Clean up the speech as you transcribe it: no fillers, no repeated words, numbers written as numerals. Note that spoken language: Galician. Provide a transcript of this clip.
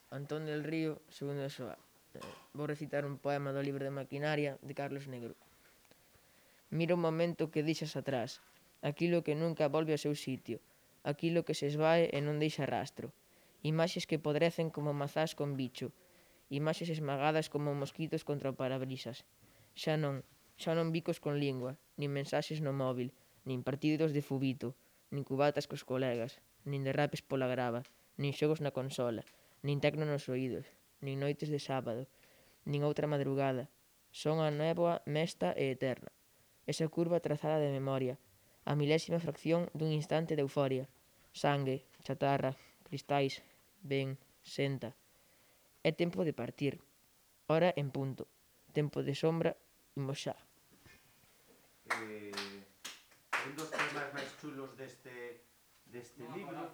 Antón del Río, Segunda Soa. Vou recitar un poema do libro de Maquinaria de Carlos Negro. Mira o momento que deixas atrás, aquilo que nunca volve ao seu sitio, aquilo que se esvae e non deixa rastro. Imaxes que podrecen como mazás con bicho, imaxes esmagadas como mosquitos contra o parabrisas. Xa non bicos con lingua, nin mensaxes no móvil, nin partidos de fubito, nin cubatas cos colegas, nin derrapes pola grava, nin xogos na consola, nin tecno nos oídos, nin noites de sábado, nin outra madrugada. Son a néboa mesta e eterna. Esa curva trazada de memoria, a milésima fracción dun instante de euforia. Sangue, chatarra, cristais, ven, senta. É tempo de partir. Hora en punto. Tempo de sombra, imos xa. Un dos temas máis chulos deste libro